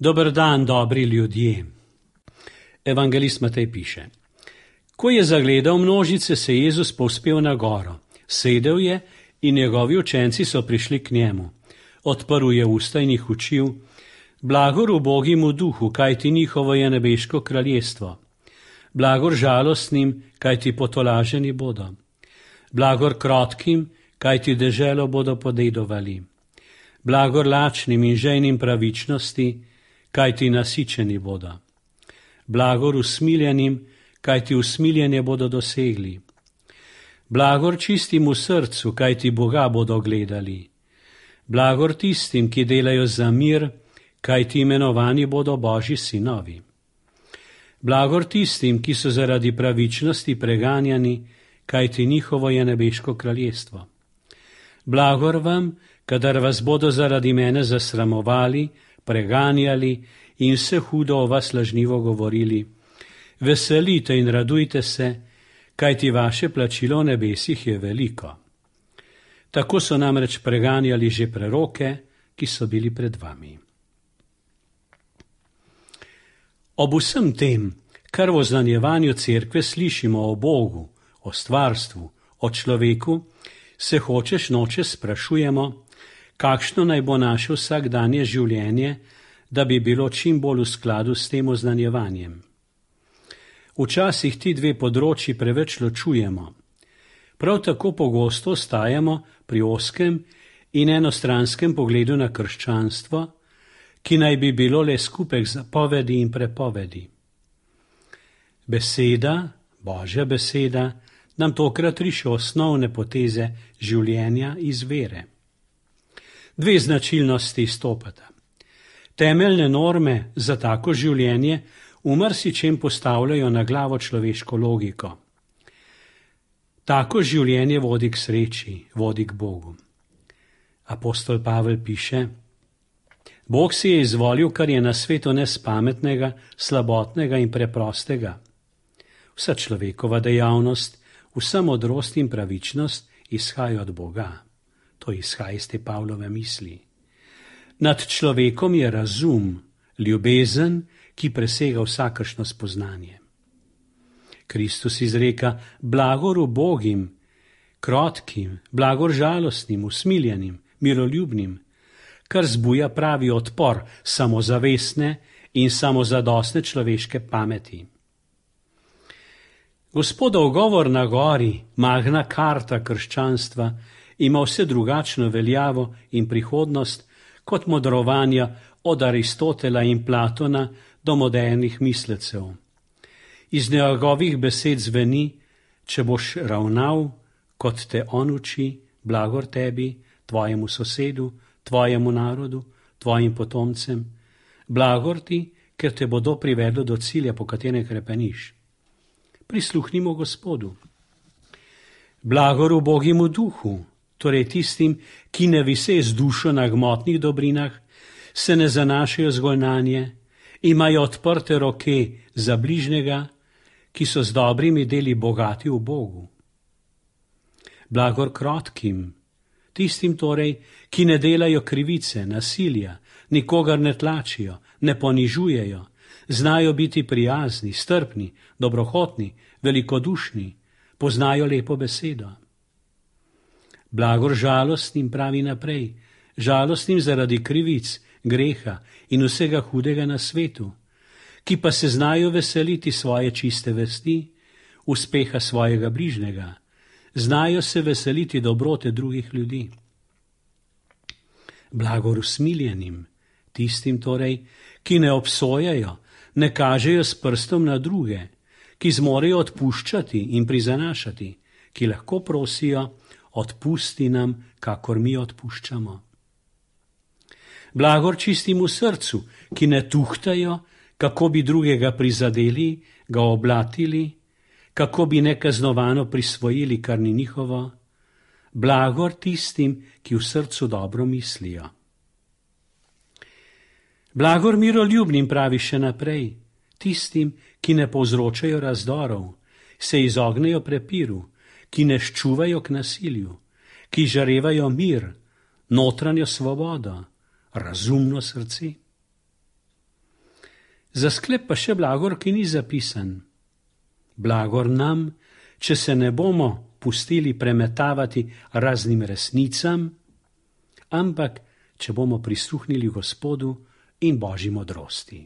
Dober dan, dobri ljudje. Evangelist Matej piše: Ko je zagledal množice, se je Jezus povzpel na goro. Sedel je in njegovi učenci so prišli k njemu. Odprl je usta in jih učil: Blagor ubogim v duhu, kajti njihovo je nebeško kraljestvo. Blagor žalostnim, kajti potolaženi bodo. Blagor krotkim, kajti deželo bodo podedovali. Blagor lačnim in žejnim pravičnosti, kajti nasičeni bodo. Blagor usmiljenim, kajti usmiljenje bodo dosegli. Blagor čistim v srcu, kajti Boga bodo gledali. Blagor tistim, ki delajo za mir, kajti imenovani bodo Božji sinovi. Blagor tistim, ki so zaradi pravičnosti preganjani, kajti njihovo je nebeško kraljestvo. Blagor vam, kadar vas bodo zaradi mene zasramovali, preganjali in vse hudo o vas lažnivo govorili. Veselite in radujte se, kajti vaše plačilo v nebesih je veliko. Tako so namreč preganjali že preroke, ki so bili pred vami. Ob vsem tem, kar v oznanjevanju cerkve slišimo o Bogu, o stvarstvu, o človeku, se hočeš nočeš sprašujemo, kakšno naj bo naše vsakdanje življenje, da bi bilo čim bolj v skladu s tem oznanjevanjem. Včasih ti dve področji preveč ločujemo. Prav tako pogosto ostajamo pri ozkem in enostranskem pogledu na krščanstvo, ki naj bi bilo le skupek zapovedi in prepovedi. Beseda, Božja beseda, nam tokrat riše osnovne poteze življenja iz vere. Dve značilnosti izstopata. Temeljne norme za tako življenje v marsičem postavljajo na glavo človeško logiko. Tako življenje vodi k sreči, vodi k Bogu. Apostol Pavel piše: Bog si je izvolil, kar je na svetu nespametnega, slabotnega in preprostega. Vsa človekova dejavnost, vsa modrost in pravičnost izhaja od Boga. To izhaja iz te Pavlove misli. Nad človekom je razum, ljubezen, ki presega vsakršno spoznanje. Kristus izreka: blagor ubogim, krotkim, blagor žalostnim, usmiljenim, miroljubnim, kar zbuja pravi odpor samozavestne in samozadostne človeške pameti. Gospodov govor na gori, magna karta krščanstva, ima vse drugačno veljavo in prihodnost kot modrovanja od Aristotela in Platona do modernih mislecev. Iz njegovih besed zveni: če boš ravnal, kot te on uči, blagor tebi, tvojemu sosedu, tvojemu narodu, tvojim potomcem, blagor ti, ker te bodo privedlo do cilja, po katerem krepeniš. Prisluhnimo Gospodu. Blagor ubogim v duhu, torej tistim, ki ne vise z dušo na gmotnih dobrinah, se ne zanašajo zgolj nanje, imajo odprte roke za bližnjega, ki so z dobrimi deli bogati v Bogu. Blagor krotkim, tistim torej, ki ne delajo krivice, nasilja, nikogar ne tlačijo, ne ponižujejo, znajo biti prijazni, strpni, dobrohotni, velikodušni, poznajo lepo besedo. Blagor žalostnim, pravi naprej, žalostnim zaradi krivic, greha in vsega hudega na svetu, ki pa se znajo veseliti svoje čiste vesti, uspeha svojega bližnjega, znajo se veseliti dobrote drugih ljudi. Blagor usmiljenim, tistim torej, ki ne obsojajo, ne kažejo s prstom na druge, ki zmorejo odpuščati in prizanašati, ki lahko prosijo: odpusti nam, kakor mi odpuščamo. Blagor čistim v srcu, ki ne tuhtajo, kako bi drugega prizadeli, ga oblatili, kako bi nekaznovano prisvojili, kar ni njihovo. Blagor tistim, ki v srcu dobro mislijo. Blagor miroljubnim, pravi še naprej, tistim, ki ne povzročajo razdorov, se izognejo prepiru, ki ne ščuvajo k nasilju, ki žarevajo mir, notranjo svobodo, razumno srce. Za sklep pa še blagor, ki ni zapisan. Blagor nam, če se ne bomo pustili premetavati raznim resnicam, ampak če bomo prisluhnili Gospodu in Božji modrosti.